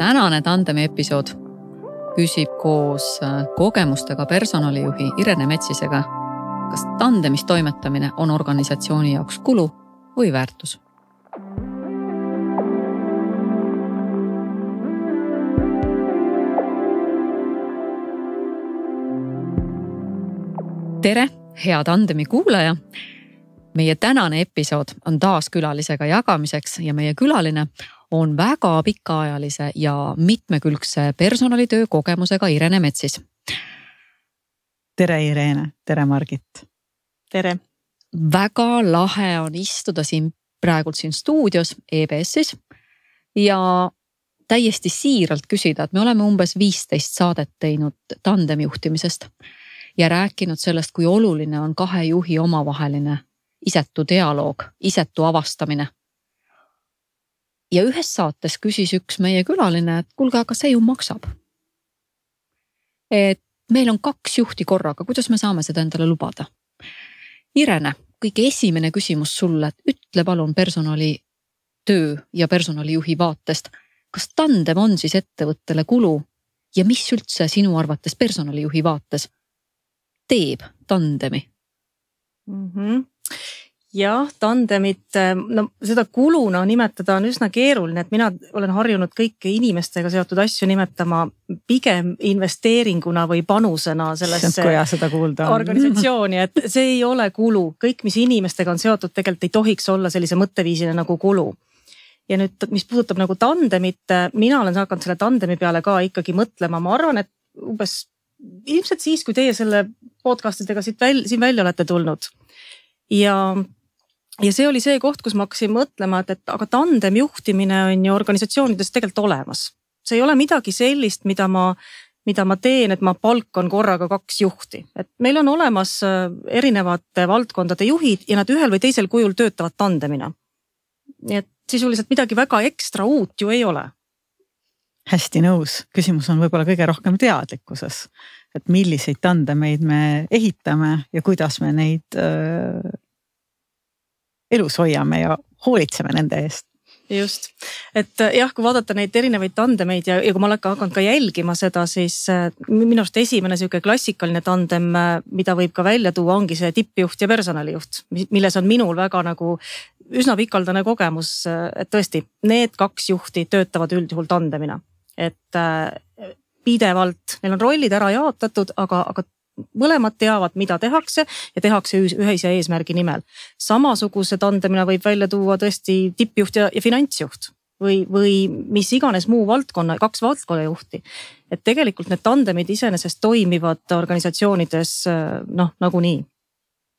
Tänane tandemi episood küsib koos kogemustega personalijuhi Irene Metsisega, kas tandemis toimetamine on organisatsiooni jaoks kulu või väärtus. Tere, hea tandemi kuulaja! Meie tänane episood on taas külalisega jagamiseks ja meie külaline on väga pikaajalise ja mitmekülgse personalitöö kogemusega Irene Metsis. Tere Irene, tere Margit. Tere. Väga lahe on istuda praegult siin stuudios EBS-is ja täiesti siiralt küsida, et me oleme umbes 15 saadet teinud tandemi juhtimisest ja rääkinud sellest, kui oluline on kahe juhi omavaheline isetu dialoog, isetu avastamine. Ja ühes saates küsis üks meie külaline, et kuulge, aga see ju maksab. Et meil on 2 juhti korraga, kuidas me saame seda endale lubada? Irene, kõige esimene küsimus sulle, et ütle palun personalitöö ja personalijuhi vaatest, kas tandem on siis ettevõttele kulu ja mis üldse sinu arvates personalijuhi vaates teeb tandemi? Jah, tandemit, seda kuluna nimetada on üsna keeruline, et mina olen harjunud kõiki inimestega seotud asju nimetama pigem investeeringuna või panusena sellesse organisatsiooni, et see ei ole kulu. Kõik, mis inimestega on seotud, tegelikult ei tohiks olla sellise mõtteviisina nagu kulu. Ja nüüd, mis puudutab nagu tandemit, mina olen hakanud selle tandemi peale ka ikkagi mõtlema. Ma arvan, et umbes ilmselt siis, kui teie selle podcastidega siin välja olete tulnud. Ja see oli see koht, kus ma hakkasin mõtlema, et aga tandem juhtimine on ju organisatsioonides tegelikult olemas. See ei ole midagi sellist, mida ma teen, et ma palkan korraga 2 juhti. Et meil on olemas erinevate valdkondade juhid ja nad ühel või teisel kujul töötavad tandemina. Nii et sisuliselt midagi väga ekstra uut ju ei ole. Hästi nõus. Küsimus on võib-olla kõige rohkem teadlikkuses, et milliseid tandemeid me ehitame ja kuidas me neid elus hoiame ja hoolitseme nende eest. Just. Et jah, kui vaadata neid erinevaid tandemeid ja kui ma olen hakanud ka jälgima seda, siis minu arust esimene selline klassikaline tandem, mida võib ka välja tuua, ongi see tippjuht ja personalijuht, milles on minul väga nagu üsna pikaldane kogemus, et tõesti, need 2 juhti töötavad üldjuhul tandemina. Et pidevalt, neil on rollid ära jaotatud, aga mõlemad teavad, mida tehakse ja tehakse ühise eesmärgi nimel. Samasuguse tandemina võib välja tuua tõesti tippjuht ja finantsjuht või mis iganes muu valdkonna, 2 valdkonnajuhti. Et tegelikult need tandemid iseenesest toimivad organisatsioonides nagunii.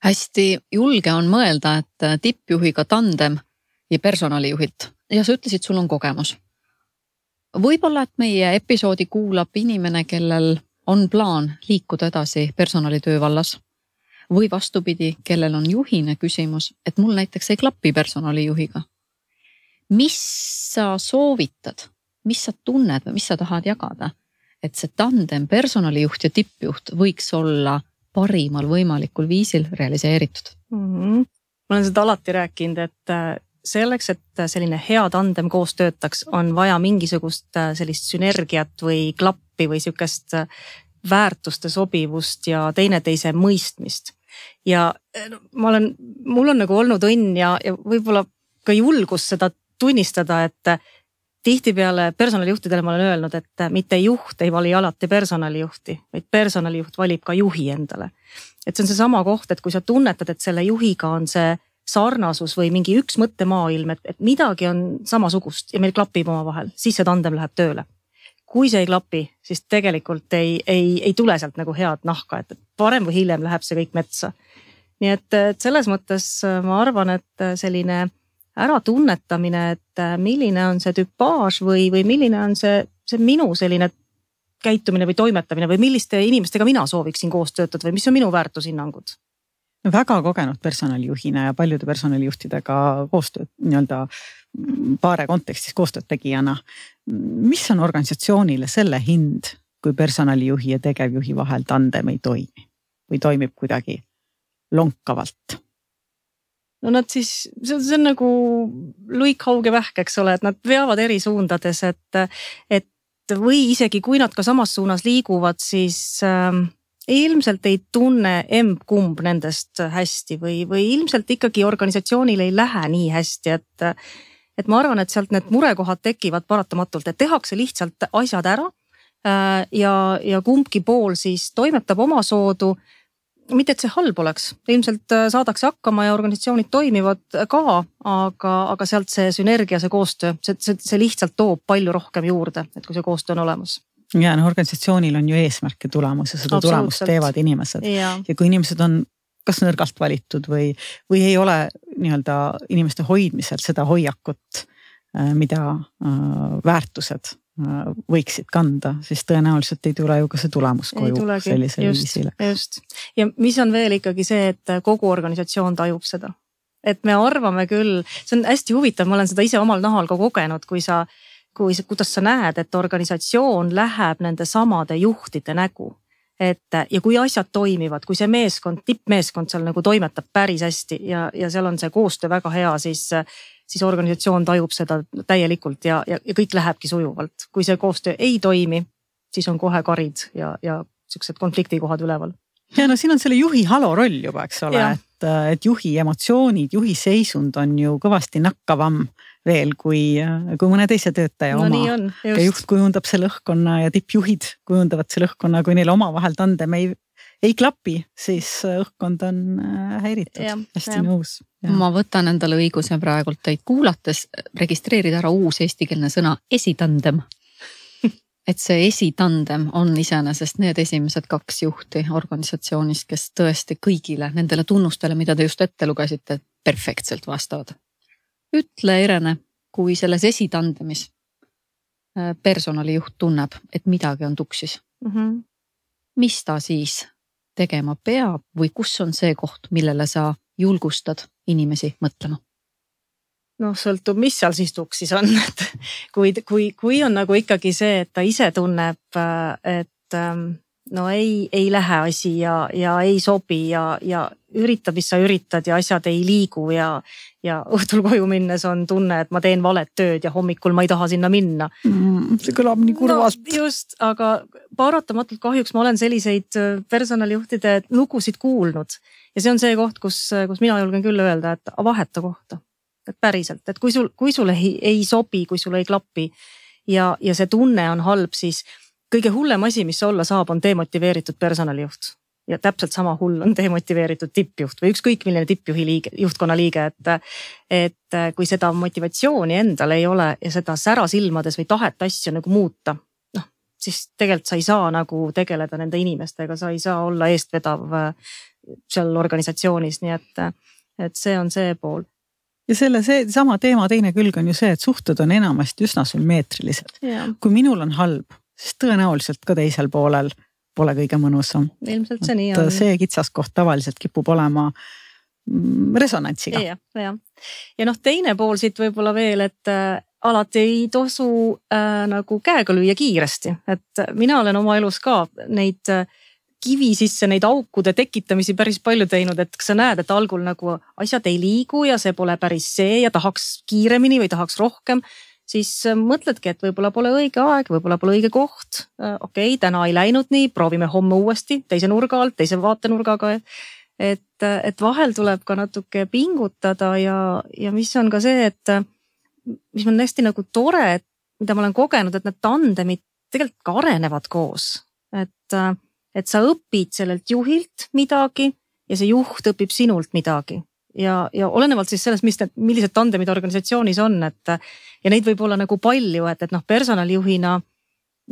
Hästi julge on mõelda, et tippjuhiga tandem ja personalijuhilt ja sa ütlesid, sul on kogemus. Võib-olla, et meie episoodi kuulab inimene, kellel on plaan liikuda edasi personalitöö vallas või vastupidi, kellel on juhine küsimus, et mul näiteks ei klapi personalijuhiga. Mis sa soovitad, mis sa tunned või mis sa tahad jagada, et see tandem personalijuht ja tippjuht võiks olla parimal võimalikul viisil realiseeritud? Ma olen seda alati rääkinud, et selleks, et selline hea tandem koos töötaks, on vaja mingisugust sellist sünergiat või klappi või sükest väärtuste sobivust ja teineteise mõistmist. Ja mul on nagu olnud õnn ja võib-olla ka julgus seda tunnistada, et tihtipeale personalijuhtidele ma olen öelnud, et mitte juht ei vali alati personalijuhti, vaid personalijuht valib ka juhi endale. Et see on see sama koht, et kui sa tunnetad, et selle juhiga on see sarnasus või mingi üks mõttemaailm, et midagi on samasugust ja meil klapib oma vahel, siis see tandem läheb tööle. Kui see ei klapi, siis tegelikult ei tule sealt nagu head nahka, et parem või hiljem läheb see kõik metsa. Nii et selles mõttes ma arvan, et selline äratunnetamine, et milline on see tüpaaž või milline on see minu selline käitumine või toimetamine või milliste inimestega mina sooviksin koos töötada või mis on minu väärtushinnangud. Väga kogenud personalijuhina ja paljude personalijuhtidega koostööd, nii-öelda paare kontekstis koostööd tegijana. Mis on organisatsioonile selle hind, kui personalijuhi ja tegevjuhi vahel tandem ei toimi või toimib kuidagi lonkavalt? No nad siis, see on nagu luikhauge vähk, eks ole, et nad veavad eri suundades, et või isegi kui nad ka samas suunas liiguvad, siis ilmselt ei tunne emb-kumb nendest hästi või ilmselt ikkagi organisatsioonil ei lähe nii hästi, et ma arvan, et sealt need murekohad tekivad paratamatult, et tehakse lihtsalt asjad ära ja kumbki pool siis toimetab oma soodu. Mitte, et see halb oleks, ilmselt saadakse hakkama ja organisatsioonid toimivad ka, aga sealt see sünergia, see koostöö, see lihtsalt toob palju rohkem juurde, et kui see koostöö on olemas. Ja organisatsioonil on ju eesmärk ja tulemus ja seda tulemust teevad inimesed. Ja kui inimesed on kas nõrgalt valitud või ei ole nii-öelda inimeste hoidmisel seda hoiakut, mida väärtused võiksid kanda, siis tõenäoliselt ei tule ju ka see tulemus koju sellisel viisile. Just. Ja mis on veel ikkagi see, et kogu organisatsioon tajub seda. Et me arvame küll, see on hästi huvitav, ma olen seda ise omal nahal ka kogenud, kuidas sa näed, et organisatsioon läheb nende samade juhtide nägu. Ja kui asjad toimivad, kui see meeskond, tippmeeskond seal nagu toimetab päris hästi ja seal on see koostöö väga hea, siis organisatsioon tajub seda täielikult ja kõik lähebki sujuvalt. Kui see koostöö ei toimi, siis on kohe karid ja sellised konfliktikohad üleval. Ja no siin on selle juhi halo roll juba, eks ole, et juhi emotsioonid, juhi seisund on ju kõvasti nakkavam veel kui mõne teise töötaja oma. Ja juht kujundab selle õhkkonna ja tippjuhid kujundavad selle õhkkonna, kui neil oma vahel tandem ei klapi, siis õhkkond on häiritud. Hästi nõus. Ma võtan endale õiguse praegult teid kuulates registreerida ära uus eestikeelne sõna esitandem. Et see esitandem on iseenesest need esimesed 2 juhti organisatsioonist, kes tõesti kõigile nendele tunnustele, mida te just ette lugesite, perfektselt vastavad. Ütle, Irene, kui selles esitandemis personalijuht tunneb, et midagi on tuksis. Mis ta siis tegema peab või kus on see koht, millele sa julgustad inimesi mõtlema? No sõltub, mis seal siis tuksis on. Kui on nagu ikkagi see, et ta ise tunneb, et no ei lähe asi ja ei sobi ja üritab, mis sa üritad ja asjad ei liigu ja õhtul koju minnes on tunne, et ma teen valet tööd ja hommikul ma ei taha sinna minna. See kõlab nii kurvalt. No, just, aga paratamatult kahjuks ma olen selliseid personalijuhtide lugusid kuulnud ja see on see koht, kus mina julgen küll öelda, et vaheta kohta. Et päriselt, et kui sul ei sobi, kui sul ei klapi ja see tunne on halb, siis kõige hullem asi, mis olla saab, on demotiveeritud personalijuht. Ja täpselt sama hull on demotiveeritud tippjuht või ükskõik milline juhtkonna liige, et kui seda motivatsiooni endal ei ole ja seda sära silmades või tahet asju nagu muuta, siis tegelikult sa ei saa nagu tegeleda nende inimestega, sa ei saa olla eestvedav seal organisatsioonis, nii et see on see pool. Ja see sama teema teine külg on ju see, et suhted on enamasti üsna sümmeetrilised. Kui minul on halb, siis tõenäoliselt ka teisel poolel pole kõige mõnusam. Ilmselt see nii on. See kitsaskoht tavaliselt kipub olema resonantsiga. Ja teine pool siit võib-olla veel, et alati ei tosu nagu käega lüüa kiiresti. Et mina olen oma elus ka neid kivi sisse neid aukude tekitamisi päris palju teinud, et sa näed, et algul nagu asjad ei liigu ja see pole päris see ja tahaks kiiremini või tahaks rohkem, siis mõtledki, et võib-olla pole õige aeg, võib-olla pole õige koht. Okei, täna ei läinud nii, proovime homme uuesti, teise nurga alt, teise vaatenurgaga. Et vahel tuleb ka natuke pingutada ja mis on ka see, et mis on hästi nagu tore, mida ma olen kogenud, et need tandemid tegelikult ka arenevad koos. Et sa õpid sellelt juhilt midagi ja see juht õpib sinult midagi. Ja olenevalt siis sellest, millised tandemid organisatsioonis on, ja neid võib olla nagu palju, et personalijuhina,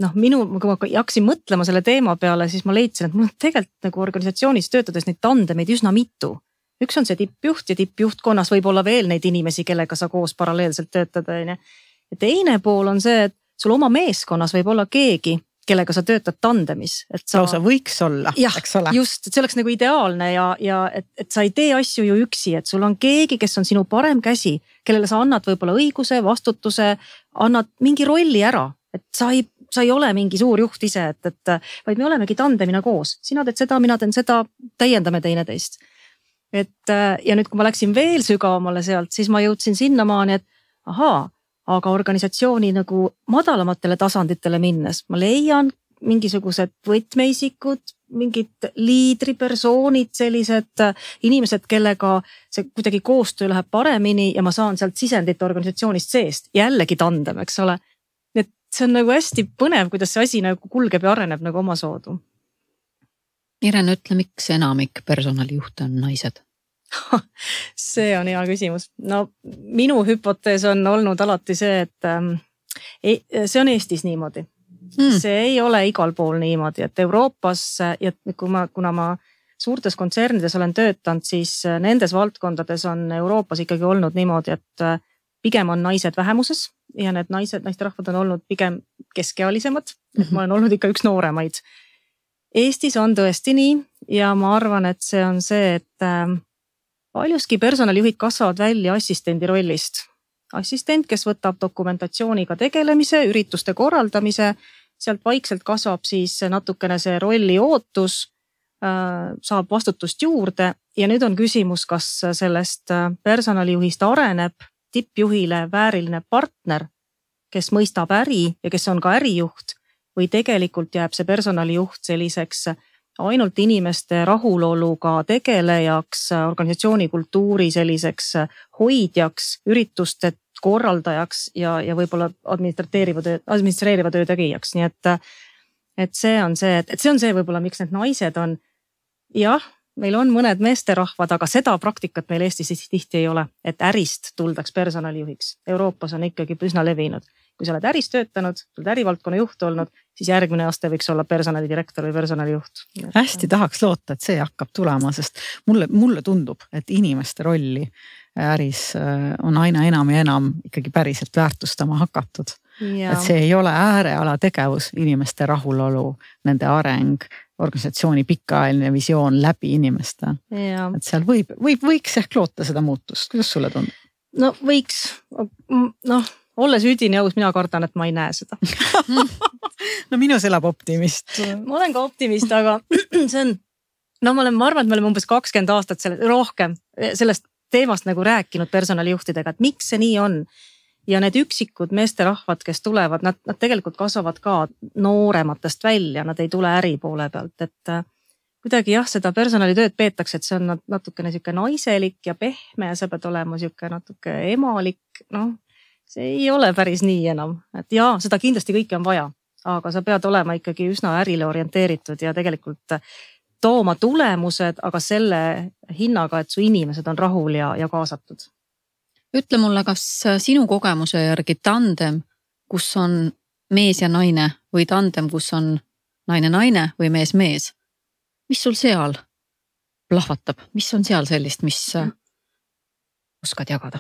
kui ma jaksin mõtlema selle teema peale, siis ma leidsin, et mul on tegelikult nagu organisatsioonis töötades neid tandemeid üsna mitu. Üks on see tippjuht ja tippjuhtkonnas võib olla veel neid inimesi, kellega sa koos paralleelselt töötad. Ja teine pool on see, et sul oma meeskonnas võib olla keegi, kellega sa töötad tandemis. Lausa võiks olla, eks ole. Just, et see oleks nagu ideaalne ja et sa ei tee asju ju üksi, et sul on keegi, kes on sinu parem käsi, kellele sa annad võib-olla õiguse, vastutuse, annad mingi rolli ära, et sa ei ole mingi suur juht ise, vaid me olemegi tandemina koos. Sina teed seda, mina teen seda, täiendame teineteist. Ja nüüd, kui ma läksin veel sügavamale sealt, siis ma jõudsin sinnamaani, et aga organisatsiooni nagu madalamatele tasanditele minnes ma leian mingisugused võtmeisikud, mingid liidripersoonid, sellised inimesed, kellega see kuidagi koostöö läheb paremini ja ma saan sealt sisendit organisatsioonist seest. Jällegi tandem, eks ole. Et see on nagu hästi põnev, kuidas see asi nagu kulgeb ja areneb nagu omasoodu. Irene, ütle, miks enamik personalijuhte on naised? See on hea küsimus. No minu hüpotees on olnud alati see, et see on Eestis niimoodi. See ei ole igal pool niimoodi, et Euroopas ja kuna ma suurtes kontsernides olen töötanud, siis nendes valdkondades on Euroopas ikkagi olnud niimoodi, et pigem on naised vähemuses ja need naisterahvad on olnud pigem keskealisemad. Et ma olen olnud ikka üks nooremaid. Eestis on tõesti nii ja ma arvan, et see on see, et paljuski personalijuhid kasvavad välja assistendi rollist. Assistent, kes võtab dokumentatsiooniga tegelemise, ürituste korraldamise, sealt vaikselt kasvab siis natukene see rolli ootus, saab vastutust juurde ja nüüd on küsimus, kas sellest personalijuhist areneb tippjuhile vääriline partner, kes mõistab äri ja kes on ka ärijuht või tegelikult jääb see personalijuht selliseks ainult inimeste rahuloluga tegelejaks, organisatsiooni kultuuri selliseks hoidjaks, ürituste korraldajaks ja võib-olla administreeriva töö tegijaks. Nii et see on see võib-olla, miks need naised on. Jah, meil on mõned meesterahvad, aga seda praktikat meil Eestis tihti ei ole, et ärist tuldaks personalijuhiks. Euroopas on ikkagi üsna levinud. Kui sa oled äris töötanud, sa oled ärivaldkonna juht olnud, siis järgmine aste võiks olla personalidirektor või personalijuht. Hästi tahaks loota, et see hakkab tulema, sest mulle tundub, et inimeste rolli äris on aina enam ja enam ikkagi päriselt väärtustama hakatud. Ja. Et see ei ole ääreala tegevus, inimeste rahulolu, nende areng, organisatsiooni pikaajaline visioon läbi inimeste. Ja. Et seal võiks ehk loota seda muutust. Kuidas sulle tundub? No võiks, olles üdini aus, mina kardan, et ma ei näe seda. No minus elab optimist. Ma olen ka optimist, aga see on, ma arvan, et me oleme umbes 20 aastat rohkem sellest teemast nagu rääkinud personalijuhtidega, et miks see nii on. Ja need üksikud meesterahvad, kes tulevad, nad tegelikult kasvavad ka noorematest välja, nad ei tule äri poole pealt, et kuidagi seda personalitööd peetakse, et see on natukene siuke naiselik ja pehme ja sa pead olema siuke natuke emalik, see ei ole päris nii enam, et seda kindlasti kõike on vaja, aga sa pead olema ikkagi üsna ärile orienteeritud ja tegelikult tooma tulemused, aga selle hinnaga, et su inimesed on rahul ja kaasatud. Ütle mulle, kas sinu kogemuse järgi tandem, kus on mees ja naine või tandem, kus on naine või mees, mis sul seal plahvatab? Mis on seal sellist, mis oskad jagada?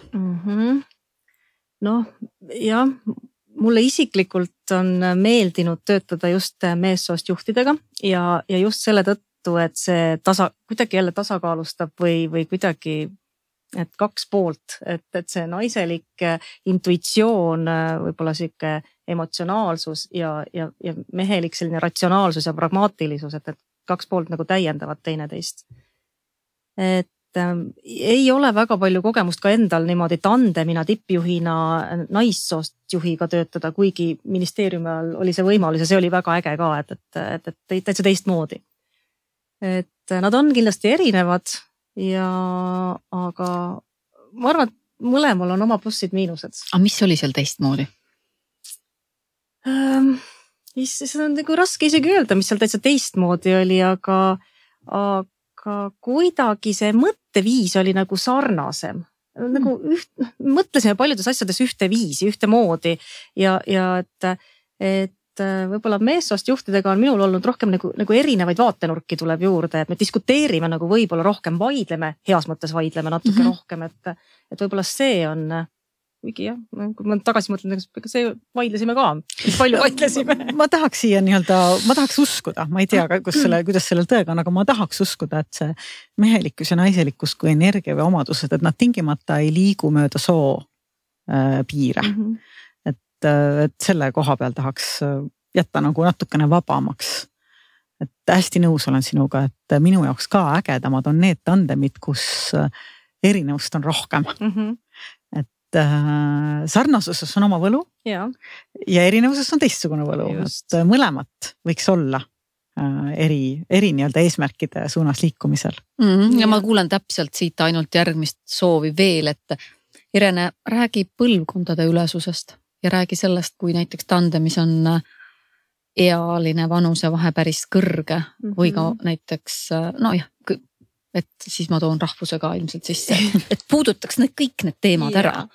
Mulle isiklikult on meeldinud töötada just meessoost juhtidega ja just selle tõttu, et see kuidagi jälle tasakaalustab või kuidagi et kaks poolt, et see naiselik intuitsioon, võib-olla siuke emotsionaalsus ja mehelik selline ratsionaalsus ja pragmaatilisus, et kaks poolt nagu täiendavad teineteist. Et ei ole väga palju kogemust ka endal niimoodi tandemina tippjuhina naissoost juhiga töötada, kuigi ministeeriumi all oli see võimalus ja see oli väga äge ka, et täitsa teistmoodi. Et nad on kindlasti erinevad aga ma arvan, et mõlemal on oma plussid miinused. Aga mis oli seal teistmoodi? See on nagu raske isegi öelda, mis seal täitsa teistmoodi oli, aga kuidagi see mõtteviis oli nagu sarnasem. Nagu mõtlesime paljudes asjades ühte viisi, ühte moodi ja et võib-olla meessoost juhtidega on minul olnud rohkem nagu erinevaid vaatenurki tuleb juurde, et me diskuteerime nagu võib-olla rohkem, vaidleme, heas mõttes vaidleme natuke rohkem, et võib-olla see on, kuigi kui ma tagasi mõtlen, see vaidlesime ka, palju vaidlesime. Ma tahaks siia ma tahaks uskuda, ma ei tea, kuidas sellel tõega on, aga ma tahaks uskuda, et see mehelikkus ja naiselikkus kui energia või omadused, et nad tingimata ei liigu mööda soo piire. Et selle koha peal tahaks jätta nagu natukene vabamaks. Et hästi nõus olen sinuga, et minu jaoks ka ägedamad on need tandemid, kus erinevust on rohkem. Et sarnasuses on oma võlu ja erinevuses on teistsugune võlu. Et mõlemat võiks olla eri nii-öelda eesmärkide suunas liikumisel. Ja ma kuulen täpselt siit ainult järgmist soovi veel, et Irene, räägi põlvkondade ülesusest ja räägi sellest, kui näiteks tandemis on ealine vanuse vahe päris kõrge või ka näiteks, et siis ma toon rahvuse ka ilmselt sisse, et puudutaks kõik need teemad ära.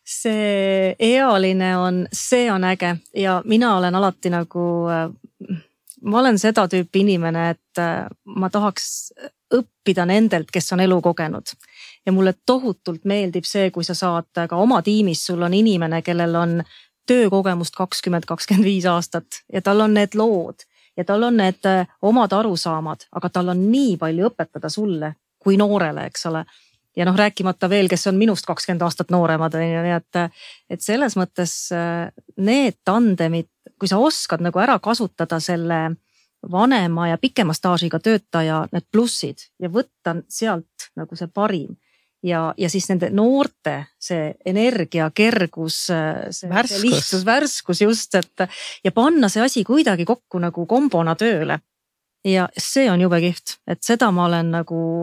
See ealine see on äge ja mina olen alati ma olen seda tüüpi inimene, et ma tahaks õppida nendelt, kes on elu kogenud. Ja mulle tohutult meeldib see, kui sa saad ka oma tiimis, sul on inimene, kellel on töökogemust 20-25 aastat ja tal on need lood ja tal on need omad arusaamad, aga tal on nii palju õpetada sulle kui noorele, eks ole. Ja rääkimata veel, kes on minust 20 aastat nooremad, nii et selles mõttes need tandemid, kui sa oskad ära kasutada selle vanema ja pikema staažiga töötaja need plussid ja võtta sealt see parim ja siis nende noorte see energia, kergus, see lihtsus, värskus just, et ja panna see asi kuidagi kokku kombona tööle. Ja see on jube kihvt, et seda ma olen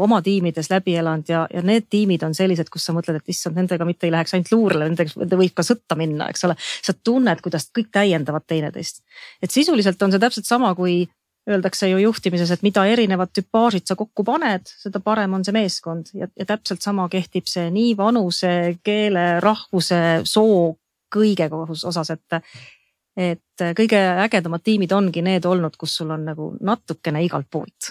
oma tiimides läbi elanud ja need tiimid on sellised, kus sa mõtled, et issand, nendega mitte ei läheks ainult luurele, nendega võib ka sõtta minna, eks ole. Sa tunned, kuidas kõik täiendavad teineteist. Et sisuliselt on see täpselt sama, kui öeldakse ju juhtimises, et mida erinevad tüpaažid sa kokku paned, seda parem on see meeskond ja täpselt sama kehtib see nii vanuse, keele, rahvuse, soo, kõige osas, et kõige ägedamad tiimid ongi need olnud, kus sul on natukene igalt poolt.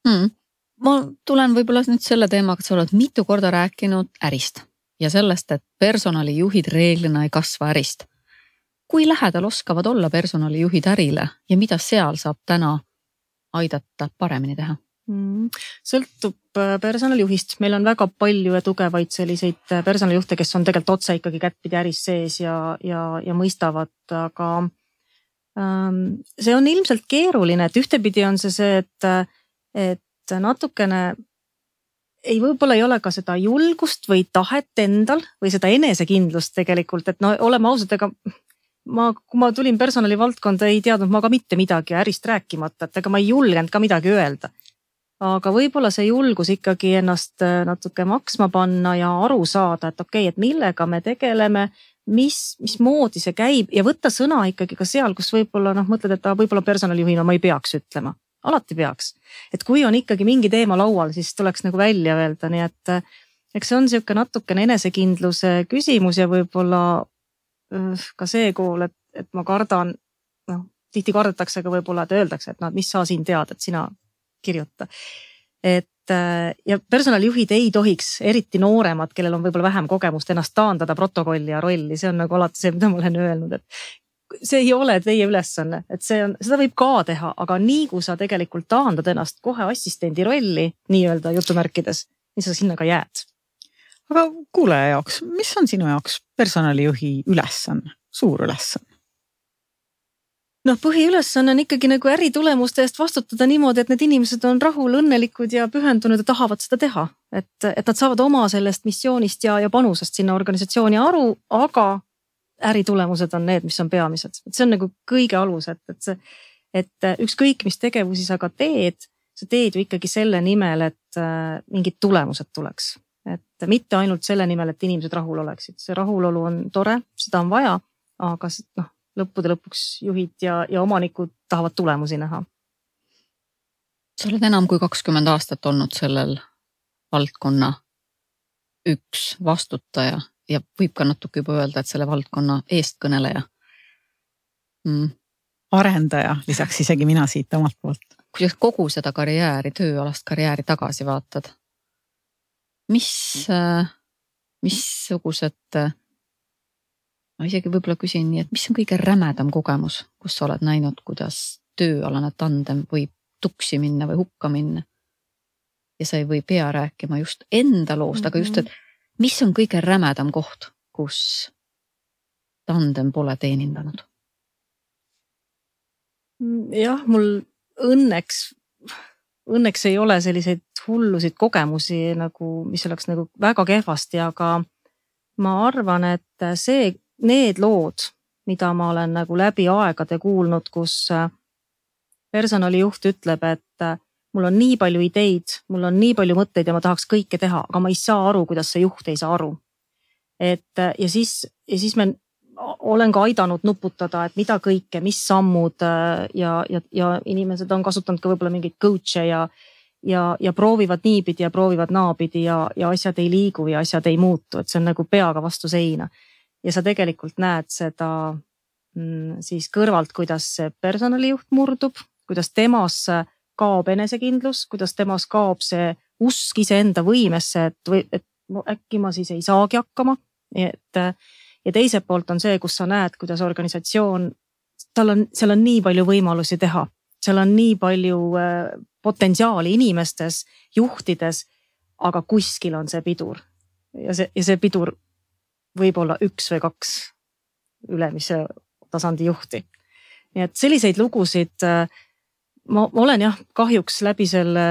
Ma tulen võib-olla nüüd selle teemaga, et sa oled mitu korda rääkinud ärist ja sellest, et personalijuhid reeglina ei kasva ärist. Kui lähedal oskavad olla personalijuhid ärile ja mida seal saab täna aidata paremini teha? Sõltub personalijuhist. Meil on väga palju ja tugevaid selliseid personalijuhte, kes on tegelikult otse ikkagi kättpidi äris sees ja mõistavad, aga see on ilmselt keeruline, et ühtepidi on see, et natukene võib-olla ei ole ka seda julgust või tahet endal või seda enesekindlust tegelikult, et oleme ausad, ega kui ma tulin personalivaldkonda, ei teadnud ma ka mitte midagi ärist rääkimata, et ega ma ei julgenud ka midagi öelda. Aga võib-olla see julgus ikkagi ennast natuke maksma panna ja aru saada, et okei, et millega me tegeleme, mismoodi see käib ja võtta sõna ikkagi ka seal, kus võib-olla mõtled, et võib-olla personalijuhina ma ei peaks ütlema. Alati peaks. Et kui on ikkagi mingi teema laual, siis tuleks välja öelda, nii et eks see on siuke natukene enesekindluse küsimus ja võib-olla ka see kool, et ma kardan, tihti kardetakse ka võib-olla, et öeldakse, et mis sa siin tead, et sina kirjuta. Et ja personalijuhid ei tohiks, eriti nooremad, kellel on võib-olla vähem kogemust, ennast taandada protokolli ja rolli. See on alati see, mida ma olen öelnud, et see ei ole teie ülesanne, et seda võib ka teha, aga nii kui sa tegelikult taandad ennast kohe assistendi rolli, nii-öelda jutumärkides, nii sa sinna ka jääd. Aga kuulaja jaoks, mis on sinu jaoks personalijuhi ülesanne, suur ülesanne? Põhiülesanne on ikkagi äritulemuste eest vastutada niimoodi, et need inimesed on rahul, õnnelikud ja pühendunud ja tahavad seda teha. Et nad saavad oma sellest missioonist ja panusest sinna organisatsiooni aru, aga äritulemused on need, mis on peamised. Et see on kõige alus, et ükskõik mis tegevusi sa ka teed, sa teed ju ikkagi selle nimel, et mingid tulemused tuleks. Et mitte ainult selle nimel, et inimesed rahul oleksid. See rahulolu on tore, seda on vaja, aga lõppude lõpuks juhid ja omanikud tahavad tulemusi näha. Sa oled enam kui 20 aastat olnud sellel valdkonna üks vastutaja ja võib ka natuke juba öelda, et selle valdkonna eestkõneleja. Arendaja, lisaks isegi mina siit omalt poolt. Kui sa kogu seda karjääri, tööalast karjääri tagasi vaatad, missugused, ma isegi võib-olla küsin nii, et mis on kõige rämedam kogemus, kus sa oled näinud, kuidas tööalane tandem võib tuksi minna või hukka minna. Ja sa ei pea rääkima just enda loost, aga just, et mis on kõige rämedam koht, kus tandem pole teenindanud? Jah, mul õnneks ei ole selliseid hullusid kogemusi, mis oleks väga kehvasti, aga ma arvan, et need lood, mida ma olen nagu läbi aegade kuulnud, kus personalijuht ütleb, et mul on nii palju ideid, mul on nii palju mõtteid ja ma tahaks kõike teha, aga ma ei saa aru, kuidas see juht ei saa aru. Ja siis me olen ka aidanud nuputada, et mida kõike, mis sammud ja inimesed on kasutanud ka võib-olla mingeid coach'e ja proovivad niipidi ja proovivad naapidi ja asjad ei liigu ja asjad ei muutu, et see on nagu peaga vastu seina. Ja sa tegelikult näed seda siis kõrvalt, kuidas see personalijuht murdub, kuidas temas kaob enesekindlus, kuidas temas kaob see usk iseenda võimesse, et äkki ma siis ei saagi hakkama. Ja teiselt poolt on see, kus sa näed, kuidas organisatsioon, seal on nii palju võimalusi teha. Seal on nii palju potentsiaali inimestes, juhtides, aga kuskil on see pidur. Ja see pidur võib olla 1 või 2 ülemise tasandi juhti. Nii et selliseid lugusid ma olen kahjuks läbi selle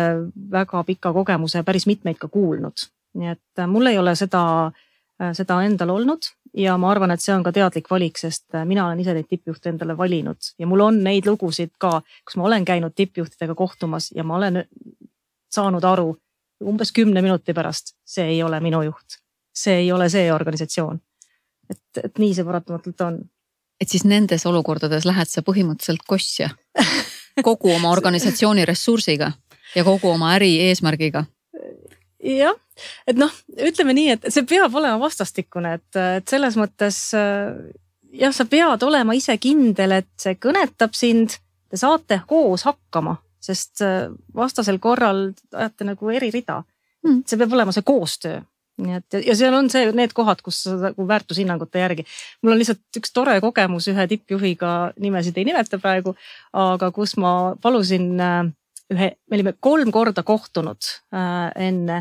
väga pika kogemuse päris mitmeid ka kuulnud. Nii et mul ei ole seda endal olnud ja ma arvan, et see on ka teadlik valik, sest mina olen ise neid tippjuhte endale valinud ja mul on neid lugusid ka, kus ma olen käinud tippjuhtidega kohtumas ja ma olen saanud aru umbes 10 minuti pärast, see ei ole minu juht. See ei ole see organisatsioon. Et nii see paratamatult on. Et siis nendes olukordades lähed sa põhimõtteliselt kossja kogu oma organisatsiooni ressursiga ja kogu oma äri eesmärgiga. Jah, et ütleme nii, et see peab olema vastastikune, et selles mõttes sa pead olema ise kindel, et see kõnetab sind, te saate koos hakkama, sest vastasel korral ajate nagu eri rida. See peab olema see koostöö. Ja seal on need kohad, kus väärtushinnangute järgi. Mul on lihtsalt üks tore kogemus ühe tippjuhiga, nimesid ei nimeta praegu, aga kus ma palusin me olime 3 korda kohtunud enne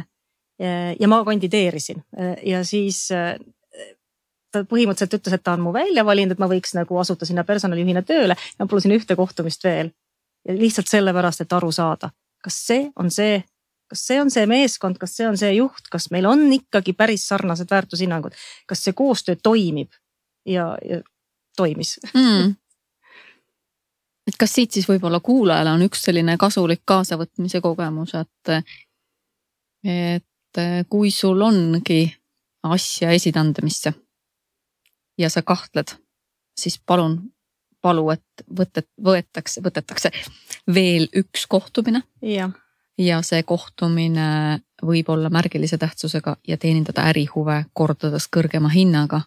ja ma kandideerisin ja siis ta põhimõtteliselt ütles, et ta on mu välja valinud, et ma võiks nagu asuda sinna personalijuhina tööle ja ma palusin 1 kohtumist veel ja lihtsalt sellepärast, et aru saada, kas see on see meeskond, kas see on see juht, kas meil on ikkagi päris sarnased väärtushinnangud, kas see koostöö toimib ja toimis. Et kas siit siis võib-olla kuulajale on üks selline kasulik kaasavõtmise kogemus, et kui sul ongi asja esitandemisse ja sa kahtled, siis palu, et võtetakse veel 1 kohtumine. Ja see kohtumine võib olla märgilise tähtsusega ja teenindada ärihuve kordades kõrgema hinnaga,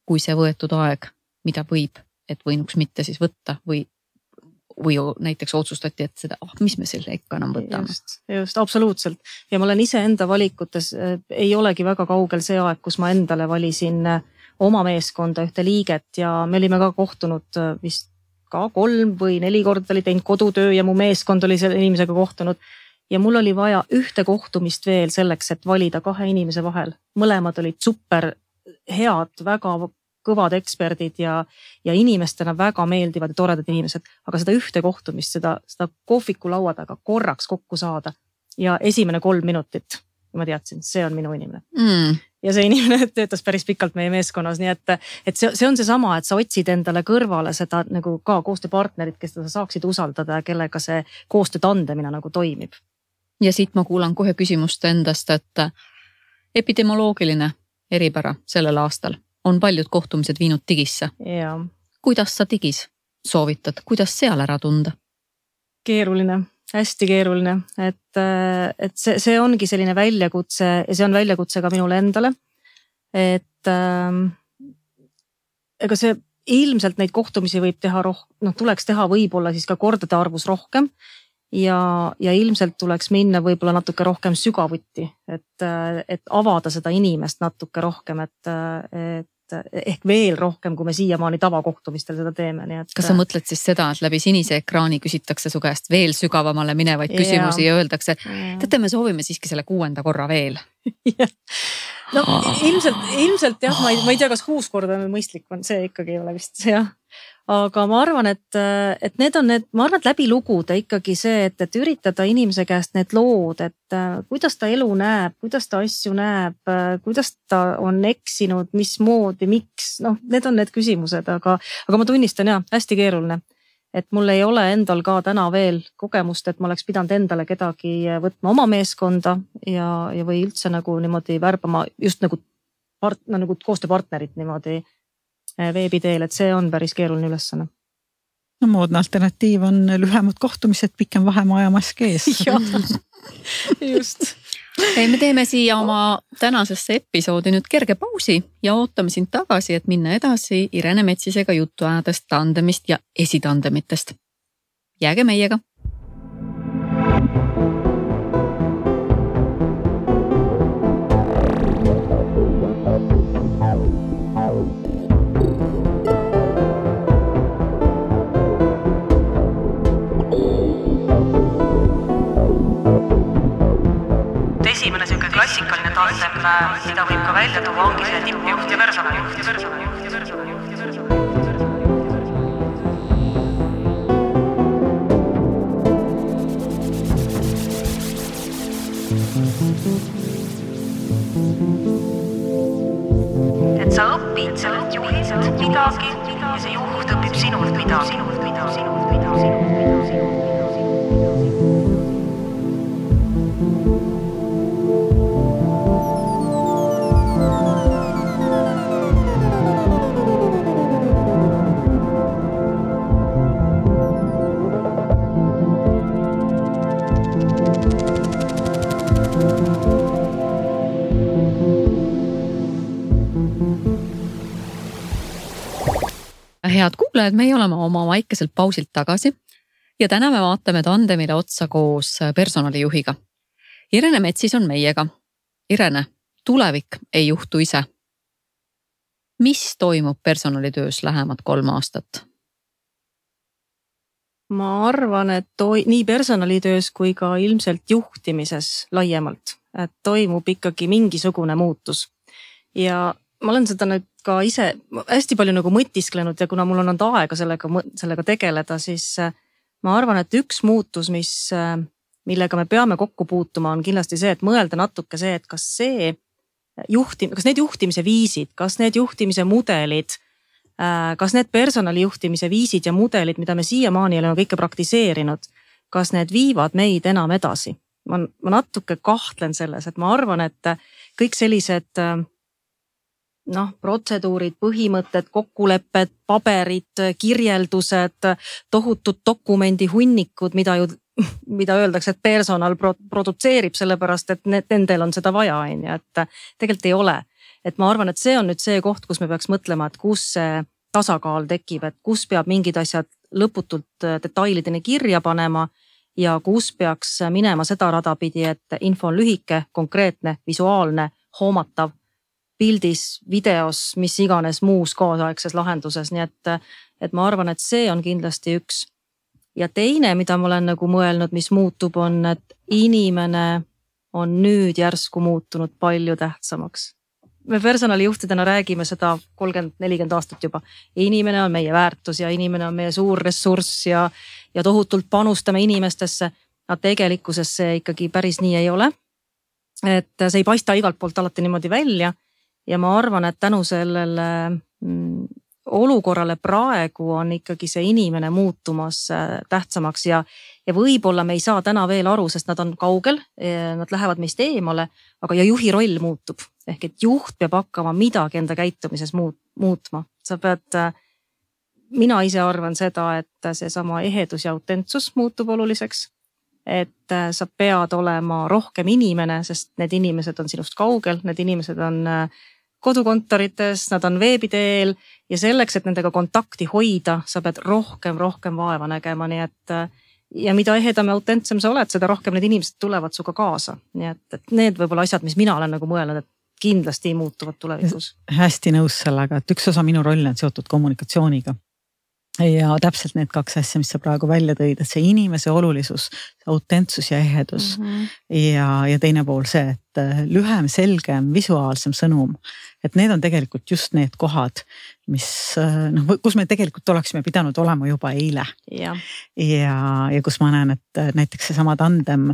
kui see võetud aeg, mida võinuks mitte siis võtta või näiteks otsustati, et seda, mis me selle ikka enam võtame. Just, absoluutselt. Ja ma olen ise enda valikutes, ei olegi väga kaugel see aeg, kus ma endale valisin oma meeskonda 1 liiget ja me olime ka kohtunud vist ka 3 või 4 korda oli teinud kodutöö ja mu meeskond oli selle inimesega kohtunud. Ja mul oli vaja 1 kohtumist veel selleks, et valida 2 inimese vahel. Mõlemad olid super head, väga kõvad eksperdid ja inimestena väga meeldivad ja toredad inimesed. Aga seda 1 kohtumist, seda kohviku laua taga korraks kokku saada ja esimene 3 minutit, ma teadsin, see on minu inimene. Ja see inimene töötas päris pikalt meie meeskonnas, nii et see on see sama, et sa otsid endale kõrvale seda nagu ka koostööpartnerit, kes sa saaksid usaldada ja kellega see koostöö tandemina nagu toimib. Ja siit ma kuulan kohe küsimust endast, et epidemioloogiline eripära sellel aastal on paljud kohtumised viinud digisse. Ja. Kuidas sa digis soovitad? Kuidas seal ära tunda? Keeruline, hästi keeruline, et see ongi selline väljakutse ja see on väljakutse ka minule endale, et ega see ilmselt neid kohtumisi võib teha tuleks teha võib-olla siis ka kordade arvus rohkem ja ilmselt tuleks minna võib-olla natuke rohkem sügavuti, et avada seda inimest natuke rohkem, et ehk veel rohkem, kui me siiamaani tavakohtumistel seda teeme. Nii et... Kas sa mõtled siis seda, et läbi sinise ekraani küsitakse su käest veel sügavamale minevaid küsimusi ja öeldakse, et me soovime siiski selle 6. korra veel? No ilmselt jah, ma ei tea, kas 6 korda on mõistlik, see ikkagi ei ole vist jah. aga ma arvan, et need on need, ma arvan, et läbi lugude ikkagi see, et üritada inimese käest need lood, et kuidas ta elu näeb, kuidas ta asju näeb, kuidas ta on eksinud, mismoodi, miks, noh, need on need küsimused, aga ma tunnistan hästi keeruline. Et mul ei ole endal ka täna veel kogemust, et ma oleks pidanud endale kedagi võtma oma meeskonda ja või üldse nagu niimoodi värbama just nagu koostööpartnerit niimoodi veebi teel, et see on päris keeruline ülesanne. No moodne alternatiiv on lühemad kohtumised, pikem vahemaja mask ees. Just. Me teeme siia oma tänasesse episoodi nüüd kerge pausi ja ootame sind tagasi, et minna edasi Irene Metsisega juttu ajadest tandemist ja esitandemitest. Jääge meiega. Esimene selline klassikaline tandem, mida võib ka välja tuua, ongi see tippjuht ja personalijuht. Et sa õpid sellelt juhilt midagi ja see juht õpib sinult midagi. Head kuulajad, meie oleme oma väikeselt pausilt tagasi ja täna me vaatame tandemile otsa koos personalijuhiga. Irene Metsis on meiega. Irene, tulevik ei juhtu ise. Mis toimub personalitöös lähemad 3 aastat? Ma arvan, et nii personalitöös kui ka ilmselt juhtimises laiemalt, et toimub ikkagi mingisugune muutus. Ja ma olen seda nüüd ka ise hästi palju nagu mõtisklenud ja kuna mul on olnud aega sellega tegeleda, siis ma arvan, et üks muutus, millega me peame kokku puutuma, on kindlasti see, et mõelda natuke see, et kas need juhtimise viisid, kas need juhtimise mudelid, kas need personalijuhtimise viisid ja mudelid, mida me siiamaani oleme kõike praktiseerinud, kas need viivad meid enam edasi. Ma natuke kahtlen selles, et ma arvan, et kõik sellised protseduurid, põhimõtted, kokkulepped, paberid, kirjeldused, tohutud dokumendi hunnikud, mida öeldakse, et personal produtseerib sellepärast, et nendel on seda vaja, et tegelikult ei ole. Et ma arvan, et see on nüüd see koht, kus me peaks mõtlema, et kus see tasakaal tekib, et kus peab mingid asjad lõputult detailideni kirja panema ja kus peaks minema seda radapidi, et info on lühike, konkreetne, visuaalne, hoomatav, pildis, videos, mis iganes muus kaasaegses lahenduses, nii et ma arvan, et see on kindlasti üks. Ja teine, mida ma olen nagu mõelnud, mis muutub, on, et inimene on nüüd järsku muutunud palju tähtsamaks. Me personalijuhtidena räägime seda 30-40 aastat juba. Inimene on meie väärtus ja inimene on meie suur ressurss ja tohutult panustame inimestesse. Aga tegelikkuses see ikkagi päris nii ei ole. Et see ei paista igalt poolt alati niimoodi välja. Ja ma arvan, et tänu sellele olukorrale praegu on ikkagi see inimene muutumas tähtsamaks ja võib-olla me ei saa täna veel aru, sest nad on kaugel, nad lähevad meist eemale, aga ja juhi roll muutub. Ehk et juht peab hakkama midagi enda käitumises muutma. Mina ise arvan seda, et see sama ehedus ja autentsus muutub oluliseks. Et sa pead olema rohkem inimene, sest need inimesed on sinust kaugel, need inimesed on kodukontorites, nad on veebi teel ja selleks, et nendega kontakti hoida, sa pead rohkem vaeva nägema, nii et ja mida ehedam ja autentsem sa oled, seda rohkem need inimesed tulevad suga kaasa. Nii et need võib-olla asjad, mis mina olen nagu mõelnud, et kindlasti muutuvad tulevikus. Hästi nõus sellega, et üks osa minu roll on seotud kommunikatsiooniga. ja täpselt need kaks asja, mis sa praegu välja tõid, et see inimese olulisus, autentsus ja ehedus ja teine pool see, et lühem, selgem, visuaalsem sõnum. Et need on tegelikult just need kohad, mis kus me tegelikult oleksime pidanud olema juba eile. Ja kus ma näen, et näiteks seesama tandem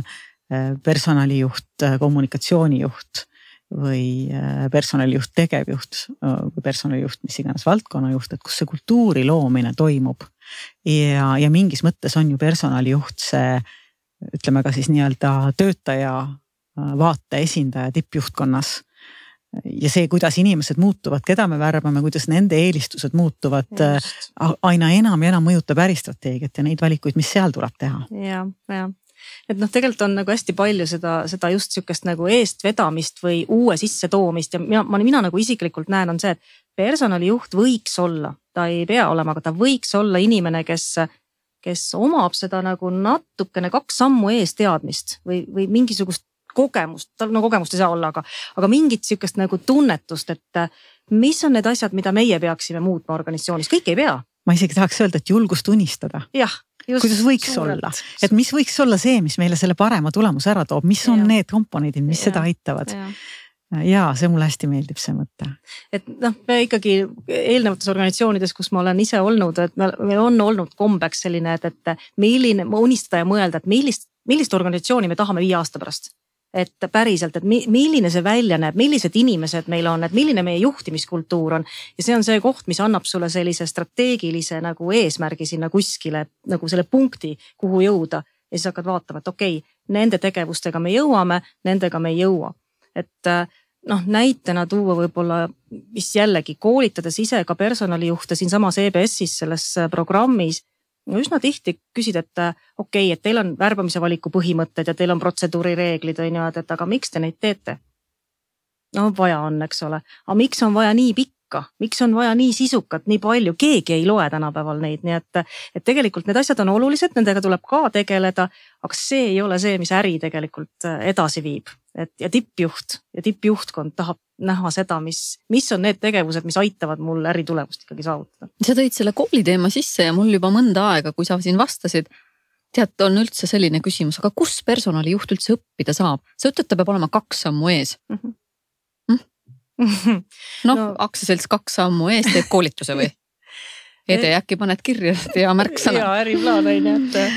personalijuht, kommunikatsioonijuht või personalijuht, tegevjuht või personalijuht, mis iganes valdkonnajuht, et kus see kultuuri loomine toimub. Ja mingis mõttes on ju personalijuht see, ütleme ka siis nii-öelda töötaja vaate esindaja tippjuhtkonnas. Ja see, kuidas inimesed muutuvad, keda me värbame, kuidas nende eelistused muutuvad, aina enam ja enam mõjutab äristrateegiat ja neid valikuid, mis seal tuleb teha. Ja. Et tegelikult on nagu hästi palju seda just sükest nagu eestvedamist või uue sisse toomist ja mina nagu isiklikult näen on see, et personalijuht võiks olla, ta ei pea olema, aga ta võiks olla inimene, kes omab seda nagu natukene 2 sammu ees teadmist või mingisugust kogemust, tal kogemust ei saa olla, aga mingit sükest nagu tunnetust, et mis on need asjad, mida meie peaksime muutma organisatsioonis, kõik ei pea. Ma isegi tahaks öelda, et julgust unistada. Jah. Kuidas võiks olla, et mis võiks olla see, mis meile selle parema tulemuse ära toob, mis on need komponendid, mis seda aitavad. Ja see mulle hästi meeldib see mõte. Et me ikkagi eelnevates organisatsioonides, kus ma olen ise olnud, et meil on olnud kombeks selline, et milline unistada ja mõelda, et millist organisatsiooni me tahame 5 aasta pärast. Et päriselt, et milline see välja näeb, millised inimesed meil on, et milline meie juhtimiskultuur on. Ja see on see koht, mis annab sulle sellise strateegilise nagu eesmärgi sinna kuskile, nagu selle punkti, kuhu jõuda. Ja siis hakkad vaatama, et okei, nende tegevustega me jõuame, nendega me ei jõua. Et näitena tuua võib-olla, mis jällegi koolitades ise ka personalijuhte siin samas EBS-is selles programmis, üsna tihti küsid, et okei, et teil on värbamise valiku põhimõtted ja teil on protseduurireeglid, et aga miks te neid teete? Vaja on, eks ole. Aga miks on vaja nii pikka? Miks on vaja nii sisukat, nii palju? Keegi ei loe tänapäeval neid, nii et tegelikult need asjad on olulised, nendega tuleb ka tegeleda, aga see ei ole see, mis äri tegelikult edasi viib. Ja tippjuht ja tippjuhtkond tahab näha seda, mis on need tegevused, mis aitavad mul äritulemust ikkagi saavutada. Sa tõid selle kooli teema sisse ja mul juba mõnda aega, kui sa siin vastasid, tead, on üldse selline küsimus, aga kus personalijuht üldse õppida saab? Sa ütled, ta peab olema 2 sammu ees. Aktsiaselts 2 sammu ees teeb koolituse või? Ede, äkki paned kirja ja märksõna. Ja äriplaan ei näete.